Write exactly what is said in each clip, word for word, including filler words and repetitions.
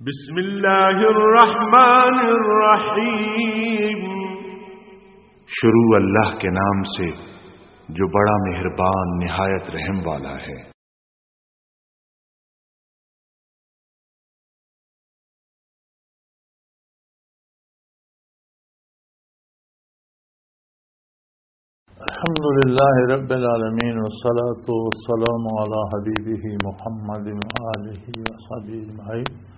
بسم اللہ الرحمن الرحیم۔ شروع اللہ کے نام سے جو بڑا مہربان نہایت رحم والا ہے۔ الحمد لله رب العالمين، والصلاة والسلام على حبيبه محمد وآله وصحبه أجمعين.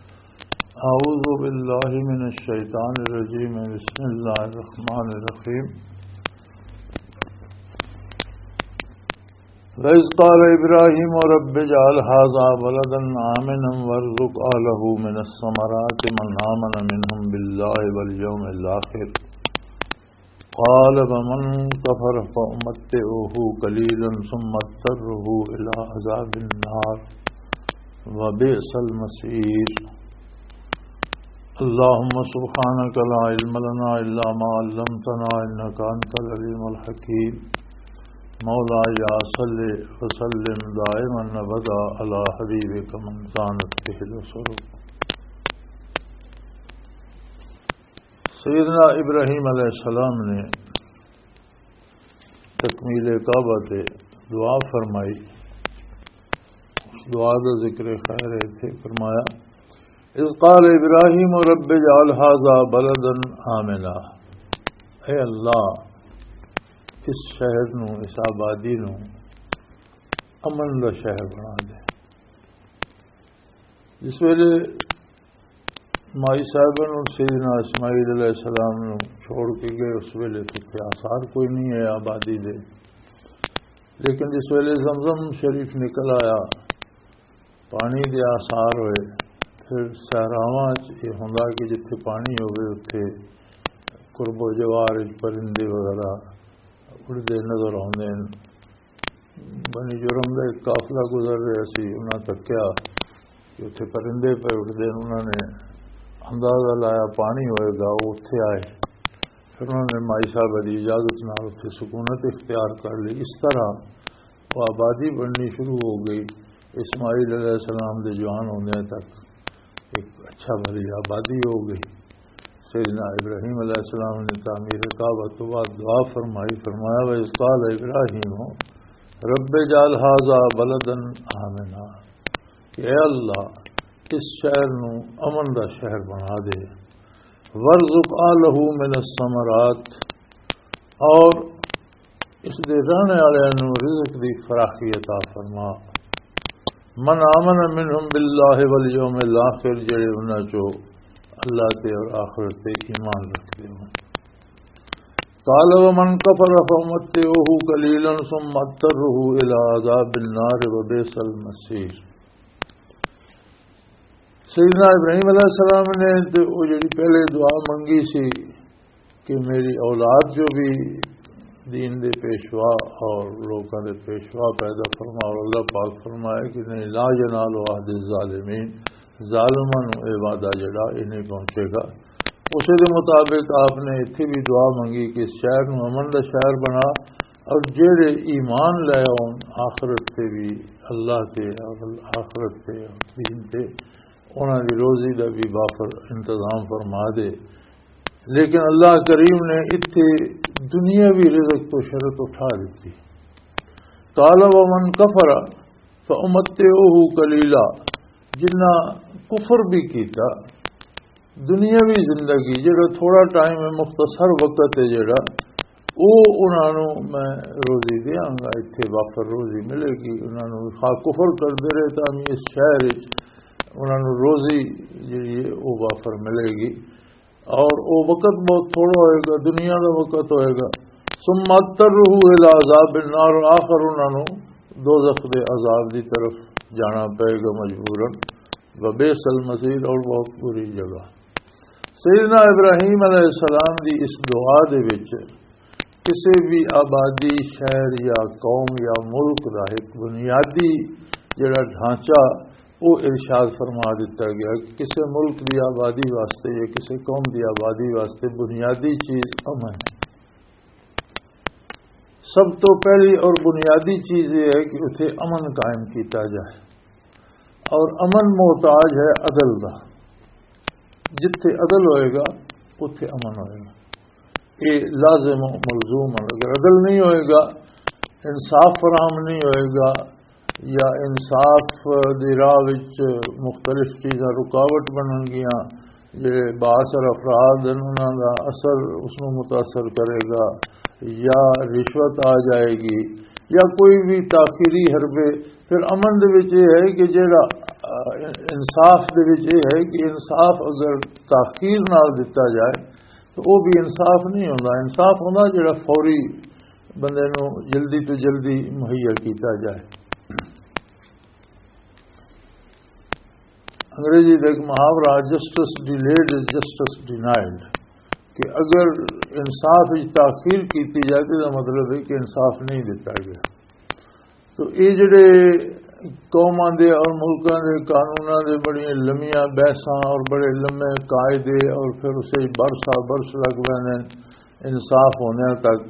أعوذ بالله من الشيطان الرجيم. بسم الله الرحمن الرحيم. وإذ قال إبراهيم رب اجعل هذا بلدا آمنا وارزق أهله من الثمرات من آمن منهم بالله واليوم الآخر. قال فمن كفر فأمتعه قليلا ثم اضطره إلى عذاب النار وبئس المصير. اللهم سبحانك لا علم لنا إلا ما علمتنا إنك أنت العليم الحكيم. مولاي صل وسلم دائما أبدا على حبيبك من زانت به العصور. سیدنا ابراہیم علیہ السلام نے تکمیل کعبہ تے دعا فرمائی۔ اس دعا دا ذکر خیر ہے، اتھے فرمایا، "اذ قال ابراہیم رب اجعل هذا بلدا آمنا"، اے اللہ، اس شہر نو، اس آبادی نو امن دا شہر بنا دے۔ جس ویلے مائی صاحبہ نوں سیدنا اسماعیل علیہ السلام نوں چھوڑ کے گئے، اس ویلے تے اتھے آثار کوئی نہیں ہے آبادی دے۔ لیکن جس ویلے زمزم شریف نکل آیا، پانی دے آثار ہوئے، پھر صحراواں وچ یہ ہوندا کہ جتھے پانی ہوئے، اتھے قرب و جوار وچ پرندے وغیرہ اڑدے نظر آوندے ہن۔ بنی جرم دا ایک قافلہ گزر رہا سی، انہاں تکیا کہ اتھے پرندے پہ اٹھدے ہن، انہاں نے اندازہ لایا پانی ہوئے گا، وہ اتھے آئے۔ پھر انہاں نے مائی صاحبہ دی اجازت نال اتھے سکونت اختیار کر لی۔ اس طرح وہ آبادی بننی شروع ہو گئی۔ اسماعیل علیہ السلام دے جوان ہوندے تک ایک اچھا بھلی آبادی ہو گئی۔ سیدنا ابراہیم علیہ السلام نے تعمیر کعبہ تو بعد دعا فرمائی، فرمایا، "وَإِذْ قَالَ إِبْرَاهِيمُ رَبِّ اجْعَلْ هَذَا بَلَدًا آمِنًا"، کہ اے اللہ، اس شہر نو امن دا شہر بنا دے۔ "وَارْزُقْ أَهْلَهُ مِنَ الثَّمَرَاتِ"، اور اس دے رہنے والے نو رزق دی فراخی عطا فرما۔ "من آمن منہم باللہ والیوم الاخر"، جڑے انہاں چو اللہ تے اور آخرت تے ایمان رکھدے ہون۔ "قال ومن کفر فامتعوہ قلیلا ثم اضطرہ الی عذاب النار وبئس المصیر"۔ سیدنا ابراہیم علیہ السلام نے تے او جڑی پہلے دعا منگی سی کہ میری اولاد جو بھی دین دے پیشوا اور لوکاں دے پیشوا پیدا فرما، اور اللہ پاک فرمائے کہ نہیں، "لا ینال عہد الظالمین"، ظالماں نوں اے وعدہ جڑا اے نہیں پہنچے گا۔ اسے دے مطابق آپ نے اتھے بھی دعا منگی کہ اس شہر نوں امن دا شہر بنا، اور جڑے ایمان لے آؤن آخرت تے بھی، اللہ تے اور آخرت تے اور دین تے، انہاں دی روزی دا بھی بافر انتظام فرما دے۔ لیکن اللہ کریم نے اتھے دنیاوی رزق تو شرط اٹھا دیتی۔ "قال ومن کفر فامتعوہ قلیلا"، جنہ کفر بھی کیتا، دنیاوی زندگی، جڑا تھوڑا ٹائم ہے، مختصر وقت ہے جڑا، او انہاں نوں میں روزی دیاں گا، اتھے وافر روزی ملے گی۔ انہاں نوں خواہ کفر کردے رہے تاں بھی اس شہر وچ انہاں نوں روزی جڑی ہے، او وافر ملے گی۔ اور او وقت بہت تھوڑا ہوئے گا، دنیا دا وقت ہوئے گا۔ "ثم اضطرہ الی عذاب النار"، آخر انہاں نوں دوزخ دے عذاب دی طرف جانا پئے گا مجبوراً۔ "وبئس المصیر"، اور بہت بری جگہ۔ سیدنا ابراہیم علیہ السلام دی اس دعا دے وچ کسی بھی آبادی، شہر یا قوم یا ملک دا ایک بنیادی جڑا ڈھانچہ، وہ ارشاد فرما دیتا گیا کہ کسی ملک دی آبادی واسطے یا کسی قوم دی آبادی واسطے بنیادی چیز امن ہے۔ سب تو پہلی اور بنیادی چیز یہ ہے کہ اتھے امن قائم کیتا جائے، اور امن محتاج ہے عدل دا۔ جتھے عدل ہوئے گا، اتھے امن ہوئے گا۔ یہ لازم و ملزوم ہے۔ اگر عدل نہیں ہوئے گا، انصاف فراہم نہیں ہوئے گا، یا انصاف دی راہ وچ مختلف چیزاں رکاوٹ بنن گیاں، جڑے بااثر افراد ہیں، انہاں دا اثر اس نوں متاثر کرے گا، یا رشوت آ جائے گی، یا کوئی بھی تاخیری حربے۔ پھر امن دے وچ یہ ہے کہ جڑا، آ، انصاف دے وچ یہ ہے کہ انصاف اگر تاخیر نال دتا جائے تو وہ بھی انصاف نہیں ہوندا۔ انصاف ہوندا جڑا فوری بندے نوں جلدی تو جلدی مہیا کیتا جائے۔ انگریزی دا ایک محاورہ، "جسٹس ڈیلیڈ از جسٹس ڈینائڈ"، کہ اگر انصاف وچ تاخیر کیتی جائے تو اس دا مطلب ہے کہ انصاف نہیں دتا گیا۔ تو یہ جڑے قوماں دے اور ملکاں دے قانوناں دے بڑیاں لمیاں بحثاں اور بڑے لمے قاعدے اور پھر اسے برسا برس لگ پیندے انصاف ہونے تک،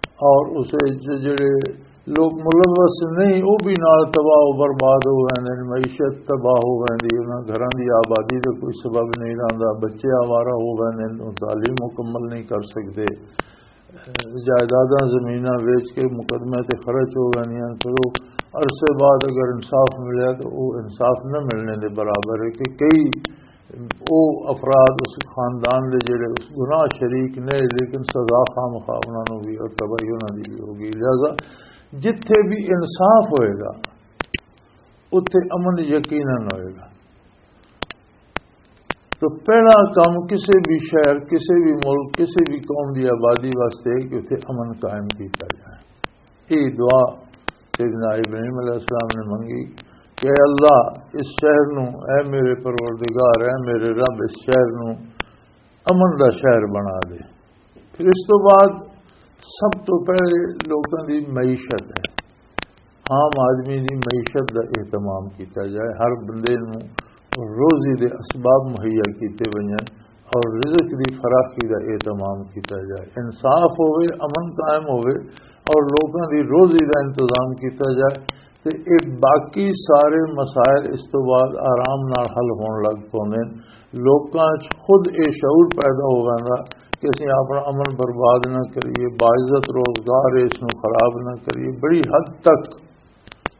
اور اسے ج-، جڑے لوگ ملوث نہیں، وہ بھی نال تباہ و برباد ہو ویندے نے، معیشت تباہ ہو ویندی، انہاں گھراں دی آبادی دا کوئی سبب نہیں رہندا، بچے آوارہ ہو ویندے نے، تعلیم مکمل نہیں کر سکدے، جائیداداں زمیناں ویچ کے مقدمے تے خرچ ہو ویندیاں۔ پھر وہ عرصے بعد اگر انصاف ملیا تو وہ انصاف نہ ملنے دے برابر ہے کہ کئی او افراد اس خاندان دے جڑے اس گناہ شریک نے، لیکن سزا خامخواہ انہاں نوں بھی اور تباہی انہاں دی بھی ہوگی۔ لہذا جتھے بھی انصاف ہوئے گا، اتھے امن یقیناً ہوئے گا۔ تو پہلا کام کسی بھی شہر، کسی بھی ملک، کسی بھی قوم دی آبادی واسطے کہ اتھے امن قائم کیتا جائے۔ یہ دعا سیدنا ابراہیم علیہ السلام نے منگی کہ اے اللہ، اس شہر نو، اے میرے پروردگار، اے میرے رب، اس شہر نو امن دا شہر بنا دے۔ پھر اس تو بعد سب تو پہلے لوکاں دی معیشت ہے، عام آدمی دی معیشت دا اہتمام کیتا جائے، ہر بندے نو روزی دے اسباب مہیا کیتے ونجن اور رزق دی فراخی دا اہتمام کیتا جائے، انصاف ہوئے، امن قائم ہوئے اور لوکاں دی روزی دا انتظام کیتا جائے، تے اے باقی سارے مسائل اس تو بعد آرام نال حل ہون لگ پوندے نے۔ لوکاں 'چ خود اے شعور پیدا ہو ویندا کہ اسی اپنا امن برباد نہ کریے، باعزت روزگار ہے، اس نوں خراب نہ کریے۔ بڑی حد تک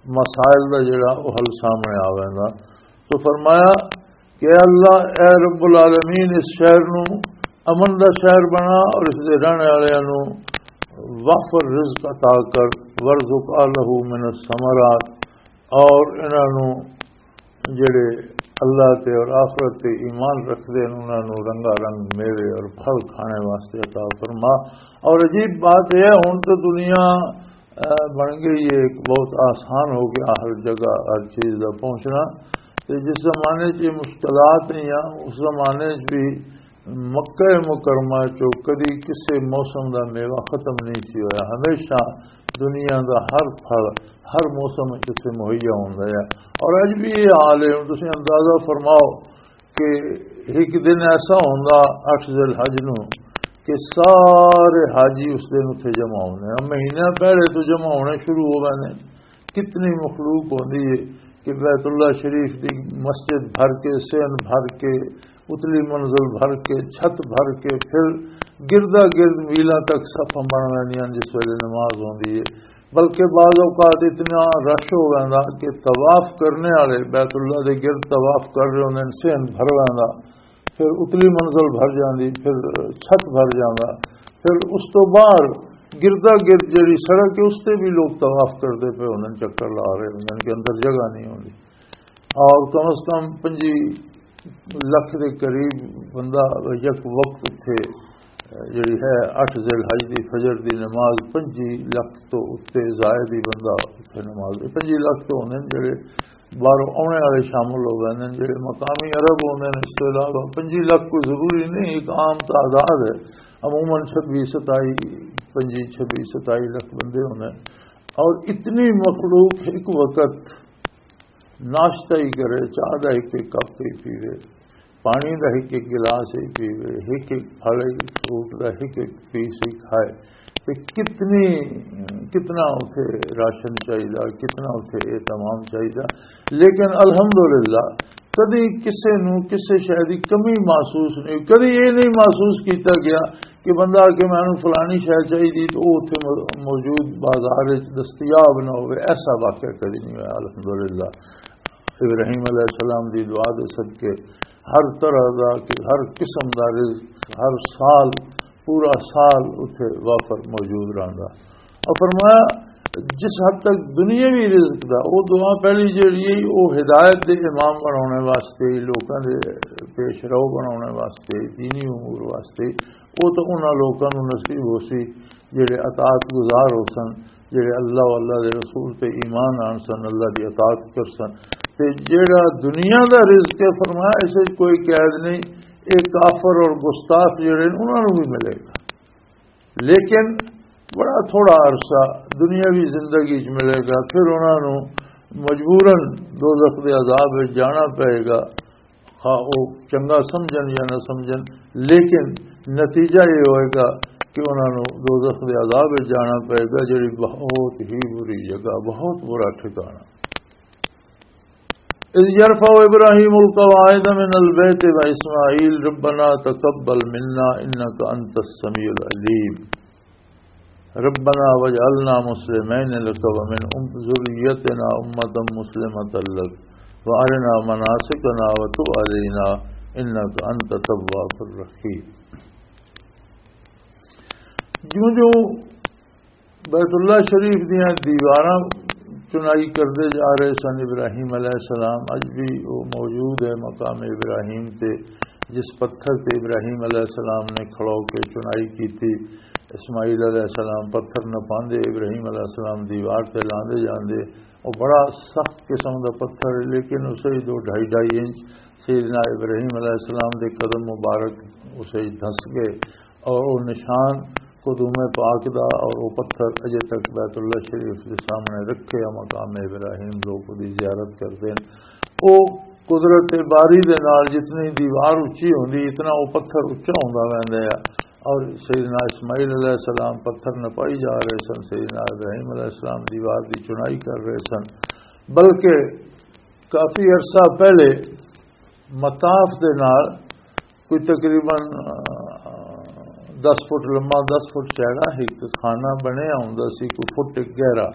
مسائل دا جڑا او حل سامنے آ ویندا۔ تو فرمایا کہ اے اللہ، اے رب العالمین، اس شہر نو امن دا شہر بنا اور اس دے رہنے والے نو وافر رزق عطا کر، ورزق اہلہ من الثمرات، اور انہاں نو جڑے اللہ تے اور آخرت تے ایمان رکھدے نے، انہاں نو رنگا رنگ میوے اور پھل کھانے واسطے عطا فرما۔ اور عجیب بات یہ ہے، ہن تو دنیا، آ، بن گئی ہے، ایک بہت آسان ہو گیا ہر جگہ ہر چیز دا پہنچنا۔ تے جس زمانے 'چ یہ مشکلات نہیں آ، اس زمانے 'چ بھی مکہ مکرمہ 'چ کدی کسے موسم دا میوہ ختم نہیں سی ہویا، ہمیشہ دنیا دا ہر پھل ہر موسم 'چ اتھے مہیا ہوندا ہے۔ اور اج بھی یہ حال ہے۔ ہن تسی اندازہ فرماؤ کہ ایک دن ایسا ہوندا اٹھ ذی الحج نو کہ سارے حاجی اس دن اتھے جمع ہونے، مہینہ پہلے تو جمع ہونے شروع ہو گئے نے۔ کتنی مخلوق ہوندی ہے کہ بیت اللہ شریف دی مسجد بھر کے، صحن بھر کے، اتلی منزل بھر کے، چھت بھر کے، پھر گردا گرد میلاں تک صفاں بن ویندیاں جس ویلے نماز ہوندی ہے۔ بلکہ بعض اوقات اتنا رش ہو ویندا کہ طواف کرنے والے بیت اللہ دے گرد طواف کر رہے ہوندے نے، صحن بھر ویندا، پھر اتلی منزل بھر جاندی، پھر چھت بھر جاندا، پھر اس تو باہر گردا گرد جڑی سڑک ہے اس تے بھی لوگ طواف کردے پے ہوندے نے، چکر لا رہے ہوندے نے کہ اندر جگہ نہیں ہوندی۔ اور کم از کم پنجی لکھ دے قریب بندہ یک وقت اتھے، جڑی ہے، اٹھ ذی الحج دی فجر دی نماز، پنجی لکھ تو اتھے زائد ہی بندہ اتھے نماز، پنجی لکھ تو ہوندے نے جڑے باہروں آنے والے شامل ہو گئے نے، جڑے مقامی عرب ہوندے نے، اس تو علاوہ پنجی لکھ کوئی ضروری نہیں، ایک عام تعداد ہے، عموماً چھبی ستائی، پنجی، چھبی ستائی لکھ بندے ہوندے نے۔ اور اتنی مخلوق ایک وقت ناشتہ ہی کرے، چاہ دا ایک ایک کپ ہی پیوے، پانی دا ایک ایک گلاس ہی پیوے، ایک ایک پھل، ایک فروٹ دا ایک ایک پیس ہی کھائے، تے کتنی، کتنا اتھے راشن چاہیدا، کتنا اتھے اہتمام چاہیدا۔ لیکن الحمدللہ کدی کسے نوں کسے شے دی کمی محسوس نہیں ہوئی۔ کدی یہ نہیں محسوس کیتا گیا کہ بندہ آ کے مینوں فلانی شے چاہیے تو وہ اتھے مو-، موجود بازار وچ دستیاب نہ ہوئے، ایسا واقعہ کدی نہیں ہوا۔ الحمدللہ، ابراہیم علیہ السلام دی دعا دے صدقے ہر طرح دا، ہر قسم دا رزق ہر سال، پورا سال اتھے وافر موجود رہندا۔ اور فرمایا، جس حد تک دنیاوی رزق دا، وہ دعا پہلی جیڑی ہے، وہ ہدایت دے امام بنانے واسطے، لوکاں دے پیش رو بنانے واسطے، دینی امور واسطے، وہ تو انہاں لوکاں نوں نصیب ہو سی جڑے اطاعت گزار ہو سن، جڑے اللہ و اللہ دے رسول تے ایمان آن سن، اللہ دی اطاعت کر سن۔ تے جڑا دنیا دا رزق ہے، فرمایا، اس وچ کوئی قید نہیں، ایک کافر اور گستاخ جڑے نے، انہاں نوں بھی ملے گا، لیکن بڑا تھوڑا عرصہ دنیاوی زندگی وچ ملے گا، پھر انہاں نوں مجبوراً دوزخ دے عذاب وچ جانا پئے گا، خواہ او چنگا سمجھن یا نہ سمجھن، لیکن نتیجہ یہ ہوئے گا کہ انہاں نوں دوزخ دے عذاب وچ جانا پئے گا، جڑی بہت ہی بری جگہ، بہت برا ٹھکانہ۔ إذ يرفع إبراهيم القواعد من البيت وإسماعيل ربنا تقبل منا إنك أنت السميع العليم. ربنا واجعلنا مسلمين لك ومن أم-، ذريتنا أمة مسلمة لك وأرنا مناسكنا وتب علينا إنك أنت التواب الرحيم. جوں جوں بیت اللہ شریف دیاں دیواراں چنائی کردے جا رہے سن ابراہیم علیہ السلام، اج بھی وہ موجود ہے مقام ابراہیم تے، جس پتھر تے ابراہیم علیہ السلام نے کھڑو کے چنائی کی تھی۔ اسماعیل علیہ السلام پتھر نہ پاندے، ابراہیم علیہ السلام دیوار تے لاندے جاندے۔ وہ بڑا سخت قسم دا پتھر ہے، لیکن اسے ہی دو ڈھائی ڈھائی انچ سیدنا ابراہیم علیہ السلام دے قدم مبارک اسے ہی دھس گئے، اور وہ نشان قدوم پاک دا، اور وہ پتھر اجے تک بیت اللہ شریف دے سامنے رکھے آ، مقام ابراہیم لوگ دی زیارت کردے ہیں۔ وہ قدرت باری دے نال جتنی دیوار اچی ہوندی، اتنا وہ پتھر اچا ہوندا ویندا ہے۔ اور سیدنا اسماعیل علیہ السلام پتھر نپائی جا رہے سن، سیدنا ابراہیم علیہ السلام دیوار دی چنائی کر رہے سن، بلکہ کافی عرصہ پہلے مطاف دے نال کوئی تقریباً، آ، دس فٹ لمبا، دس فٹ چوڑا ایک خانہ بنیا ہوندا سی، کوئی فٹ ایک گہرا۔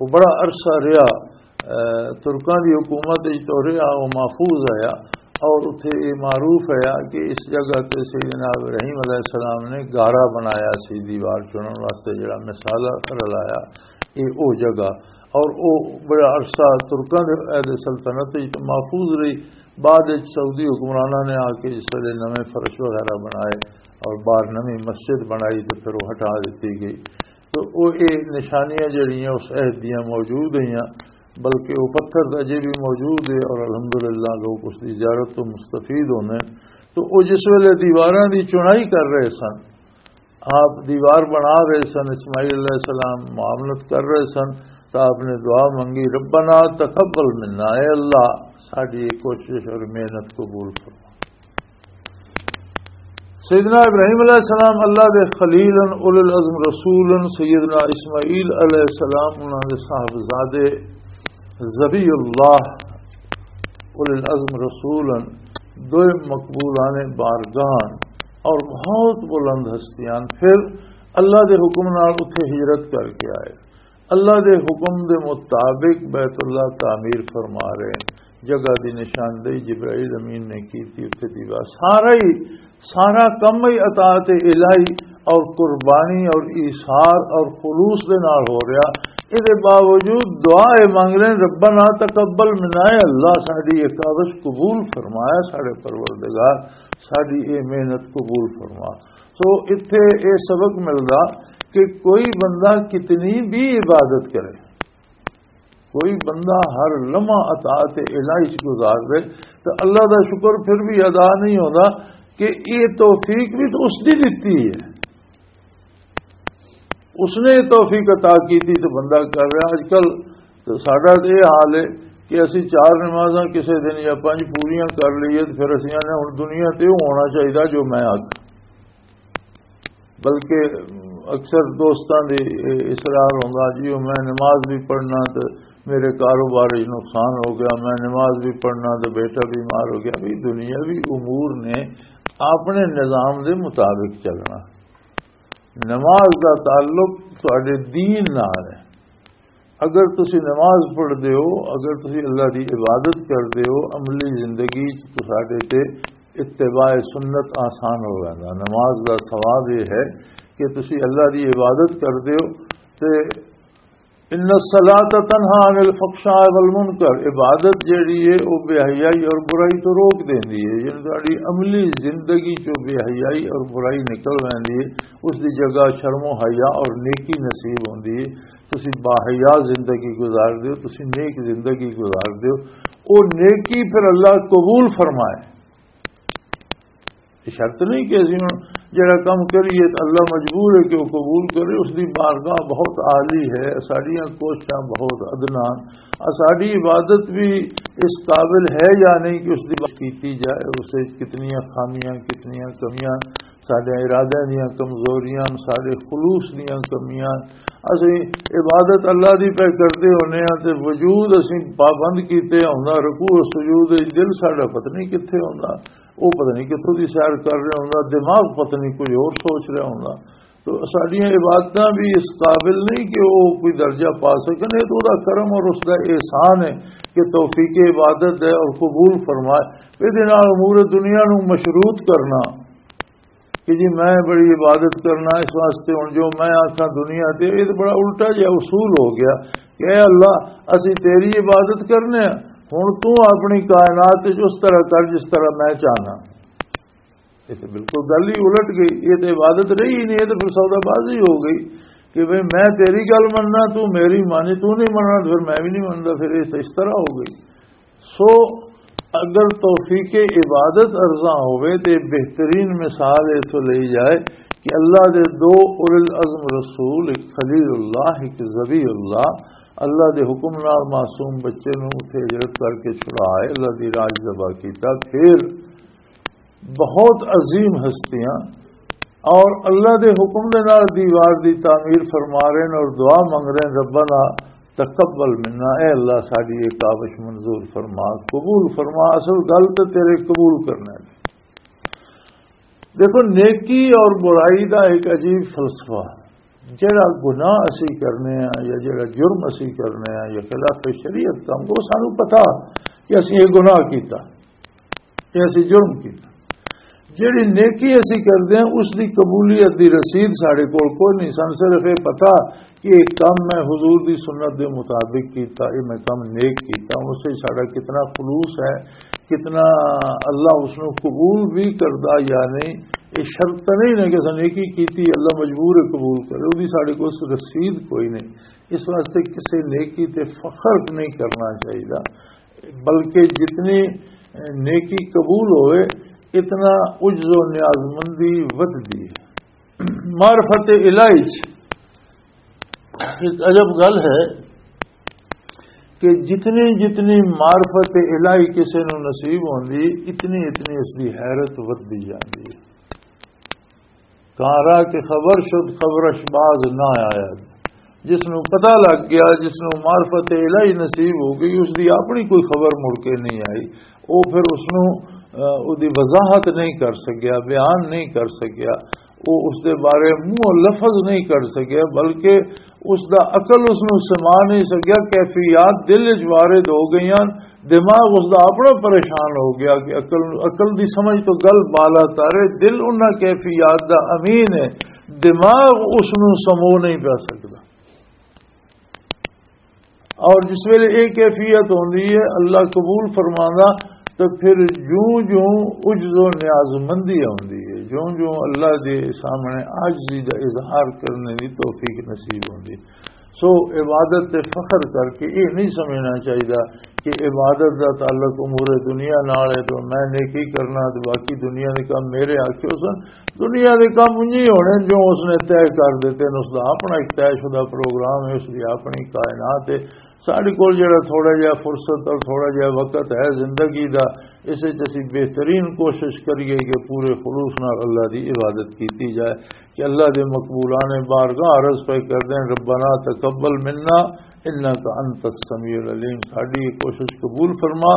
وہ بڑا عرصہ رہا، آ، ترکاں دی حکومت وچ تو رہا، وہ محفوظ آیا۔ اور اتھے یہ معروف ہے کہ اس جگہ تے سیدنا ابراہیم علیہ السلام نے گارا بنایا سی دیوار چنن واسطے، جڑا مثالہ رلایا، یہ او جگہ۔ اور او بڑا عرصہ ترکاں دے عہد سلطنت وچ محفوظ رہی۔ بعد وچ سعودی حکمراناں نے آ کے اس ویلے نویں فرش وغیرہ بنائے اور باہر نویں مسجد بنائی تے پھر وہ ہٹا دتی گئی۔ تو وہ یہ نشانیاں جڑیاں اس عہد دیاں موجود ہیں، بلکہ وہ پتھر تو اجے بھی موجود ہے اور الحمدللہ لوگ اس کی زیارت تو مستفید ہونے۔ تو وہ جس ویلے دیواراں دی چنائی کر رہے سن، آپ دیوار بنا رہے سن، اسماعیل علیہ السلام معاملت کر رہے سن، تو آپ نے دعا منگی، "ربنا تقبل منا"، اے اللہ، ساڈی یہ کوشش اور محنت قبول فرما۔ سیدنا ابراہیم علیہ السلام اللہ دے خلیل ان، اولو العزم رسول ان، سیدنا اسماعیل علیہ السلام انہاں دے صاحبزادے ذبی اللہ، اولو العزم رسول ان، دوئے مقبولان بارگاہ اور بہت بلند ہستیاں۔ پھر اللہ دے حکم نال اتھے ہجرت کر کے آئے۔ اللہ دے حکم دے مطابق بیت اللہ تعمیر فرما رہے ہیں۔ جگہ دی نشاندہی جبرائیل امین نے کی تھی، اتھے دیوار سارا ہی، سارا کم ہی اطاعت الہی اور قربانی اور ایثار اور خلوص دے نال ہو رہا۔ اے دے باوجود دعا اے مانگ رہے ہیں، "ربنا تقبل منا"، اے اللہ ساڈی یہ کاوش قبول فرمایا، ساڈے پروردگار ساڈی اے محنت قبول فرما۔ سو اتھے اے سبق ملدا کہ کوئی بندہ کتنی بھی عبادت کرے، کوئی بندہ ہر لمحہ اطاعت الہی چ گزار دے تو اللہ دا شکر پھر بھی ادا نہیں ہوندا کہ یہ توفیق بھی تو اس دی دتی ہے۔ اس نے یہ توفیق عطا کی تھی تو بندہ کر رہا۔ اج کل تو ساڈا تو یہ حال ہے کہ اسی چار نمازاں کسے دن یا پنج پوریاں کر لئیے تو پھر اسی آنے ہن دنیا تے ہونا چاہیے جو میں آکھاں۔ بلکہ اکثر دوستاں دی اصرار ہوندا، "جی، او میں نماز بھی پڑھنا تے میرے کاروبار وچ نقصان ہو گیا، میں نماز بھی پڑھنا تو بیٹا بیمار ہو گیا۔ بھی دنیاوی امور نے اپنے نظام دے مطابق چلنا۔ نماز دا تعلق تہاڈے دین نال ہے۔ اگر تسی نماز پڑھدے ہو، اگر تسی اللہ دی عبادت کردے ہو، عملی زندگی چ تساڈے تے اتباع سنت آسان ہو ویندا۔ نماز دا ثواب یہ ہے کہ تسی اللہ دی عبادت کردے ہو تے ان الصلاۃ تنہا عن الفحشاء والمنکر، عبادت جیڑی ہے وہ بے حیائی اور برائی تو روک دیندی ہے۔ یعنی تہاڈی عملی زندگی چوں بے حیائی اور برائی نکل ویندی ہے، اس دی جگہ شرم و حیا اور نیکی نصیب ہوندی ہے۔ تسی باحیا زندگی گزار دیو، تسی نیک زندگی گزار دیو، او نیکی پھر اللہ قبول فرمائے۔ یہ شرط نہیں کہ اسی ہن جڑا کم کریے تو اللہ مجبور ہے کہ وہ قبول کرے، اس دی بارگاہ بہت عالی ہے، ساڈیاں کوششاں بہت ادنا، آ ساڈی عبادت بھی اس قابل ہے یا نہیں کہ اس دی بات کیتی جائے، اسے کتنیاں خامیاں، کتنیاں کمیاں، ساڈے ارادے دیاں کمزوریاں، ساڈے خلوص دیاں کمیاں۔ اسی عبادت اللہ دی پہ کردے ہونے ہاں تے وجود اسی پابند کیتے ہوندا، رکوع و سجود وچ دل ساڈا پتہ نہیں کتھے ہوندا، وہ پتہ نہیں کتھوں دی سیر کر رہا ہوندا، دماغ پتہ نہیں کوئی اور سوچ رہا ہوندا۔ تو ساڈیاں عبادتاں بھی اس قابل نہیں کہ وہ کوئی درجہ پا سکن۔ یہ تو دا کرم اور اس دا احسان ہے کہ توفیق عبادت ہے اور قبول فرمائے۔ یہ امور دنیا نو مشروط کرنا کہ جی میں بڑی عبادت کرنا، اس واسطے ہن جو میں آکھاں دنیا تے، یہ تو بڑا الٹا جہا اصول ہو گیا کہ اے اللہ، اسی تیری عبادت کرنے ہاں، ہن تو اپنی کائنات وچ اس طرح کر جس طرح میں چاہنا۔ یہ تو بالکل گل ہی الٹ گئی، یہ تو عبادت رہی ہی نہیں، یہ تو پھر سودا بازی ہو گئی کہ بھئی میں تیری گل مننا، تو میری مانی، تو نہیں مننا تو پھر میں بھی نہیں منتا، پھر یہ تو اس طرح ہو گئی۔ سو اگر توفیق عبادت ارزاں ہوئے تو بہترین مثال اتھوں لئی جائے کہ اللہ دے دو اولل عزم رسول، ایک خلیل اللہ، ایک ذبیح اللہ، اللہ دے حکم نال معصوم بچے نوں اتھے ہجرت کر کے چھڑا آئے، اللہ دی راج ذبح کیتا۔ پھر بہت عظیم ہستیاں اور اللہ دے حکم دے نال دیوار دی تعمیر فرما رہے ہیں اور دعا منگ رہے ہیں، "ربنا تقبل منا"، اے اللہ ساڈی یہ کاوش منظور فرما، قبول فرما۔ اصل گل تے تیرے قبول کرنا ہے۔ دیکھو، نیکی اور برائی دا ایک عجیب فلسفہ۔ جڑا گناہ اسی کرنے ہیں یا جڑا جرم اسی کرنے ہیں یا خلاف شریعت کم، وہ سانو پتا کہ اسی یہ گناہ کیتا، یہ اسی جرم کیتا۔ جڑی نیکی اسی کردے ہیں، اس دی قبولیت دی رسید ساڈے کول کوئی نہیں۔ سن صرف یہ پتا کہ یہ کم میں حضور دی سنت دے مطابق کیتا، یہ میں کم نیک کیتا، اس سے ساڈا کتنا خلوص ہے، کتنا اللہ اس نو قبول بھی کردا یا نہیں۔ یہ شرط تے نہیں نا کہ اساں نیکی کیتی، اللہ مجبور ہے قبول کرے، وہ بھی ساڈے کول رسید کوئی نہیں۔ اس واسطے کسی نیکی تے فخر نہیں کرنا چاہیے، بلکہ جتنی نیکی قبول ہوئے، اتنا عجز و نیازمندی ودھدی ہے۔ معرفت الہی چ ایک عجب گل ہے کہ جتنی جتنی معرفت الہی کسے نو نصیب ہوندی، اتنی اتنی اس دی حیرت ودھدی جاندی ہے۔ کاں را کہ خبر شد، خبرش باز نہ آیا۔ جس نو پتہ لگ گیا، جس نو معرفت الہی نصیب ہو گئی، اس دی اپنی کوئی خبر مڑ کے نہیں آئی۔ وہ پھر اس نو، اہ، اس دی وضاحت نہیں کر سکیا، بیان نہیں کر سکیا، وہ اس دے بارے منہ لفظ نہیں کر سکیا، بلکہ اس دا عقل اس نو سما نہیں سکیا، کیفیات دل وچ وارد ہو گئیاں، دماغ اس دا اپنا پریشان ہو گیا کہ عقل، عقل دی سمجھ تو گل بالا تارے، دل انہاں کیفیات دا امین ہے، دماغ اس نو سمو نہیں پیا سکدا۔ اور جس ویلے یہ کیفیت ہوندی ہے، اللہ قبول فرماندا، تو پھر جوں جوں عجز و نیازمندی ہوندی ہے، جوں جوں اللہ دے سامنے عاجزی دا اظہار کرنے دی توفیق نصیب ہوندی۔ سو عبادت تے فخر کر کے یہ نہیں سمجھنا چاہیے کہ عبادت دا تعلق امور دنیا نال ہے، تو میں نیکی کرنا تے باقی دنیا دے کام میرے آکھیو سن۔ دنیا دے کام انجی ہونے جو اس نے طے کر دیتے نے، اس دا اپنا ایک طے شدہ پروگرام ہے، اس دی اپنی کائنات ہے۔ ساڈے کول جڑا تھوڑا جہا فرصت اور تھوڑا جہا وقت ہے زندگی دا، اس وچ اسی بہترین کوشش کریے کہ پورے خلوص نال اللہ دی عبادت کیتی جائے، کہ اللہ دے مقبولان بارگاہ عرض پہ کر دیں، "ربنا تقبل منا انک انت السمیع العلیم، ساڈی یہ کوشش قبول فرما۔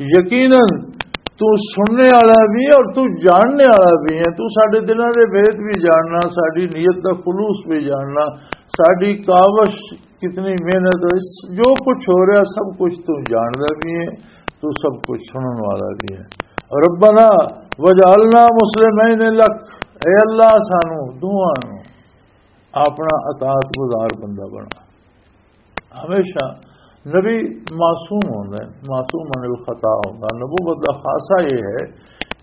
یقیناً تو سننے والا بھی ہے اور تو جاننے والا بھی ہے، تو ساڈے دلاں دے بھید بھی جاننا، ساڈی نیت دا خلوص بھی جاننا، ساڈی کاوش کتنی محنت ہے، اس جو کچھ ہو رہا سب کچھ تو جاندا بھی ہے، تو سب کچھ سنن والا بھی ہے۔ ربنا وجعلنا مسلمین لک، اے اللہ سانو دوواں نو اپنا اطاعت گزار بندہ بنا۔ ہمیشہ نبی معصوم ہوندا ہے، معصوم عن الخطا ہوندا۔ نبوت دا خاصہ یہ ہے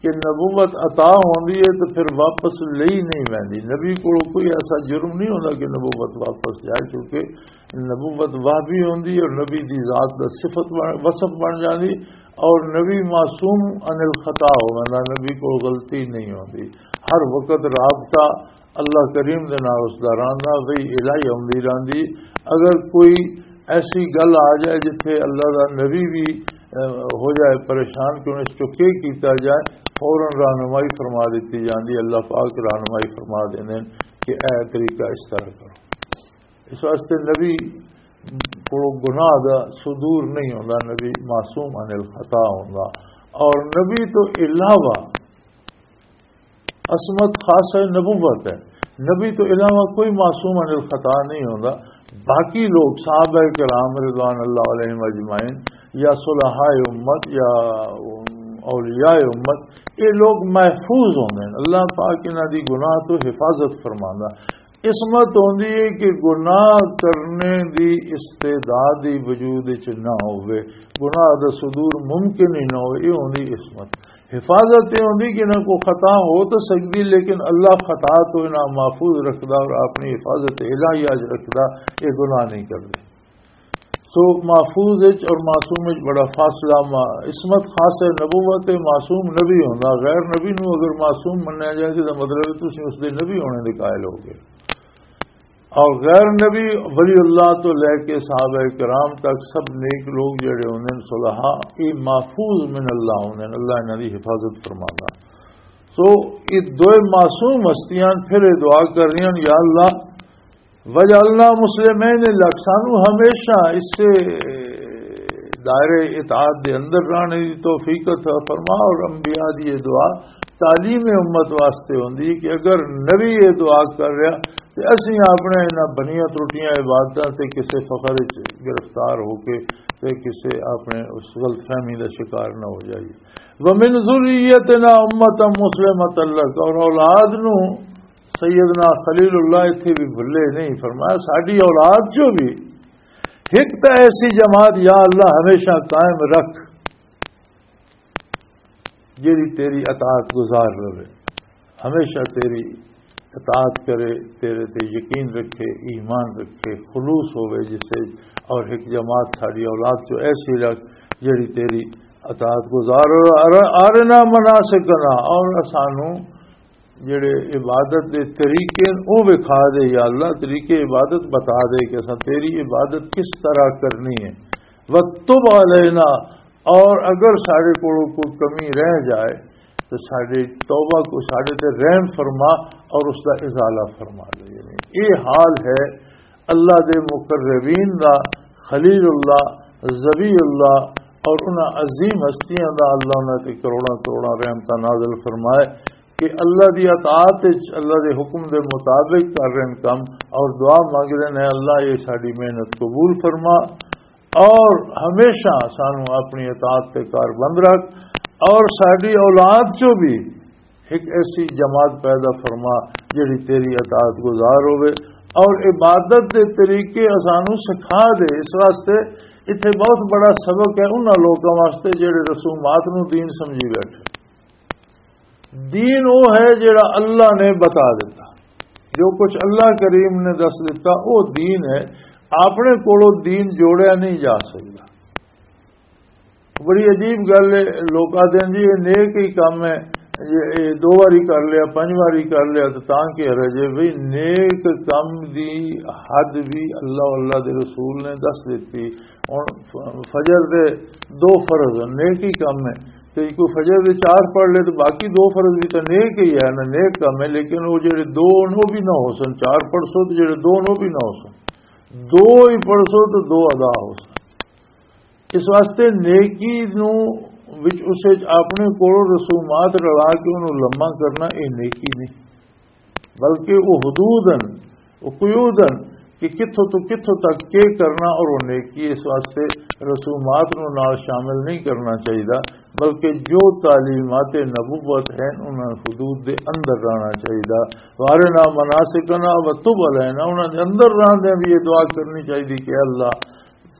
کہ نبوت عطا ہوندی ہے تو پھر واپس لئی نہیں ویندی۔ نبی کو کوئی ایسا جرم نہیں ہوندا کہ نبوت واپس جائے، کیونکہ نبوت وہبی ہوندی ہے اور نبی دی ذات دا صفت بن، وصف بن جاندی، اور نبی معصوم عن الخطا ہوندا، نبی کو غلطی نہیں ہوندی۔ ہر وقت رابطہ اللہ کریم دے نال اس دا رہندا، وہی الہی آندی رہندی۔ اگر کوئی ایسی گل آ جائے جتھے اللہ دا نبی بھی، اہ، ہو جائے پریشان کہ انہیں اس چوں کی کیتا جائے، فوراً رہنمائی فرما دیتی جاندی، اللہ پاک رہنمائی فرما دیندے نے کہ اے طریقہ اس طرح کرو۔ اس واسطے نبی کو گناہ دا صدور نہیں ہوندا، نبی معصوم عن الخطا ہوندا۔ اور نبی تو علاوہ عصمت خاص ہے، نبوت ہے۔ نبی تو علاوہ کوئی معصوم عن الخطا نہیں ہوندا۔ باقی لوگ، صحابہ کرام رضوان اللہ علیہم اجمعین، یا صلحاء امت، یا اولیاء امت، یہ لوگ محفوظ ہوندے ہیں۔ اللہ پاک انہاں دی گناہ تو حفاظت فرماندا۔ عصمت ہوندی ہے کہ گناہ کرنے دی استعداد ہی وجود وچ نہ ہوئے، گناہ دا صدور ممکن ہی نہ ہوئے، یہ ہوندی عصمت۔ حفاظت یہ ہوندی کہ انہاں کو خطا ہو تو سکدی، لیکن اللہ خطا تو انہاں محفوظ رکھدا اور اپنی حفاظت الہی اج رکھدا، یہ گناہ نہیں کردے۔ سو محفوظ وچ اور معصوم وچ بڑا فاصلہ۔ ما-، عصمت خاص ہے، نبوت ہے، معصوم نبی ہوندا۔ غیر نبی نو اگر معصوم منیا جائے تو مطلب ہے تسی اس دے نبی ہونے دے قائل ہو گئے۔ اور غیر نبی، ولی اللہ تو لے کے صحابہ کرام تک سب نیک لوگ جڑے ہوندے نے، صلحاء، یہ محفوظ من اللہ ہوندے نے، اللہ انہاں دی حفاظت فرماندا۔ سو یہ دوئے معصوم ہستیاں پھر یہ دعا کر رہی ہیں، یا اللہ، وجعلنا مسلمین لک، سانو ہمیشہ اسے دائرے اطاعت دے اندر رہنے دی توفیق عطا فرما۔ اور انبیاء دی یہ دعا تعلیم امت واسطے ہوندی ہے کہ اگر نبی یہ دعا کر رہا تے اسی اپنے انہاں بنیاں ترٹیاں عبادتاں تے کسے فخر وچ گرفتار ہو کے تے کسے اپنے اس غلط فہمی دا شکار نہ ہو جائیے۔ ومن ذریتنا امة مسلمة لک، اور اولاد نو سیدنا خلیل اللہ اتھے بھی بھلے نہیں، فرمایا ساڈی اولاد چوں بھی ایک تا ایسی جماعت یا اللہ ہمیشہ قائم رکھ، جیڑی تیری اطاعت گزار رہے، ہمیشہ تیری اطاعت کرے، تیرے تے یقین رکھے، ایمان رکھے، خلوص ہوے جسے، اور ایک جماعت ساڈی اولاد چوں ایسی رکھ جیڑی تیری اطاعت گزار۔ اور ارنا مناسکنا، اور سانو جڑے عبادت دے طریقے ہیں، او وکھا دے یا اللہ، طریقے عبادت بتا دے کہ اساں تیری عبادت کس طرح کرنی ہے۔ وتب علینا، اور اگر ساڈے کولوں کوئی کمی رہ جائے تو ساڈے توبہ کو، ساڈے تے رحم فرما اور اس دا ازالہ فرما دے۔ یعنی یہ حال ہے اللہ دے مقربین دا، خلیل اللہ، ذبیح اللہ اور انہاں عظیم ہستیاں دا، اللہ انہاں تے کروڑاں کروڑاں رحمتاں نازل فرمائے کہ اللہ دی اطاعت وچ، اللہ دے حکم دے مطابق کر رہے ہیں کم اور دعا مانگ رہے ہیں، اللہ یہ ساڈی محنت قبول فرما اور ہمیشہ سانو اپنی اطاعت تے کار بند رکھ اور ساڈی اولاد چوں بھی ایک ایسی جماعت پیدا فرما جڑی تیری اطاعت گزار ہوے اور عبادت دے طریقے اسانو سکھا دے۔ اس واسطے اتھے بہت بڑا سبق ہے انہاں لوکاں واسطے جڑے رسومات نو دین سمجھی بیٹھے۔ دین وہ ہے جڑا اللہ نے بتا دیتا، جو کچھ اللہ کریم نے دس دیتا وہ دین ہے۔ اپنے کولوں دین جوڑیا نہیں جا سکتا۔ بڑی عجیب گل ہے، لوک آدھے ہیں جی یہ نیک ہی کم ہے، یہ، یہ دو واری کر لیا، پنج واری کر لیا تو تاں کی حرج ہے؟ بھئی نیک کم دی حد بھی اللہ، اللہ دے رسول نے دس دیتی۔ ہن ف-، فجر دے دو فرض نیک ہی کم ہے، تے کوئی فجر دے چار پڑھ لے تو باقی دو فرض بھی تو نیک ہی ہے نا، نیک کم ہے، لیکن وہ جڑے دو ہن وہ بھی نہ ہو سن، چار پڑھ سو تو جڑے دو ہن وہ بھی نہ ہو سن۔ دو ہی پڑھ سو تو دو ادا ہو سن۔ اس واسطے نیکی نو وچ، اس وچ اپنے کولوں رسومات رلا کے انہوں لمحہ کرنا، یہ نیکی نہیں، بلکہ وہ حدود ہن، وہ قیود ہن کہ کتھوں تو کتھوں تک کے کرنا اور وہ نیکی۔ اس واسطے رسومات نو نال شامل نہیں کرنا چاہیے، بلکہ جو تعلیمات نبوت ہیں، انہاں حدود دے اندر رہنا چاہیے۔ وارنا مناسکنا و تب علینا، انہاں دے اندر رہندے بھی یہ دعا کرنی چاہیے کہ اللہ،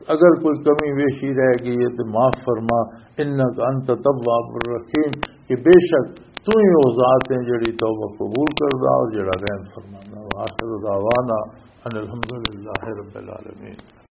اگر کوئی کمی بیشی رہ گئی ہے تو معاف فرما، انک انت التواب الرحیم، کہ بے شک تو ہی وہ ذات ہے جڑی توبہ قبول کردا اور جڑا رحم فرماندا۔ وآخر دعوانا ان الحمدللہ رب العالمین۔